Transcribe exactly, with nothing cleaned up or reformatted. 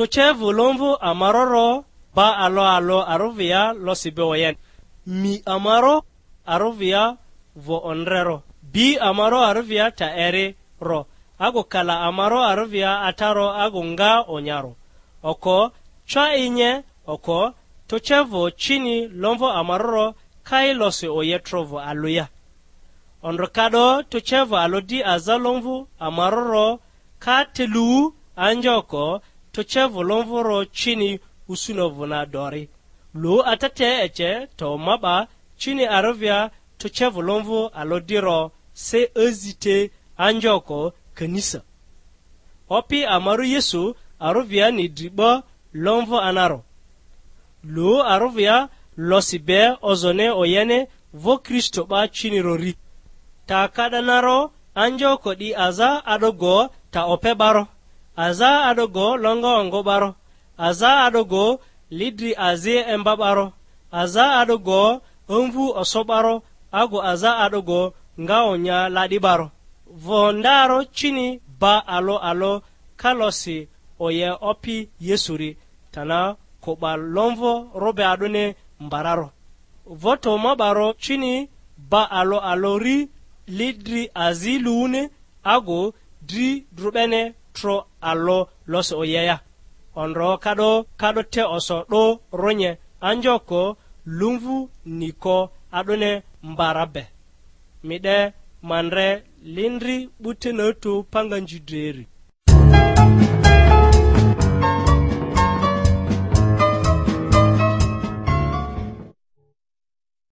Tucevᴜ lomvᴜ amaroro ba alo alo aruvia losi be oyen. Mi amaro aruvia vo ondrero. Bi amaro aruvia ta eri ro. Agu kala amaro aruvia ataro agu nga onyaro. Oko, cwa inye, oko, tucevᴜ cini lomvᴜ amaroro kai losi oye trovᴜ aluya. Ondro ka 'do tucevᴜ alo di aza lomvᴜ amaroro ka te lu anjoko tucevᴜ lomvoro cini usunovᴜ na dori. Lu atete ece to ma 'ba cini arivia tucevᴜ lomvᴜ alo diro se azi te anjoko kanisa. Opi amaru Yesu aruviani dri 'ba lomvᴜ anaro. Lu aruvia losi be ozone oyene vo Kristo 'ba cini rori. Ta ka'danaro anjoko 'di aza a'dogo ta ope 'baro, aza a'dogo longa ongo 'baro, aza a'dogo lidri azi emba 'baro, aza a'dogo amvu oso 'baro, agu aza a'dogo nga onya la'di 'baro. Vo ndaro cini ba alo alo kalosi oye Opi Yesuri, tana kᴜ 'ba lomvo robe a'dᴜni mbararo. Voto ma 'baro cini ba alo alo ri li dri azi luwuni, agu dri drubene tro alo losi oyeya. Ondro kado kado te oso 'do ronye anjoko lumvu niko a'dᴜni mbara be. Mi 'de ma ndre lindri 'bute natu panganji dreri.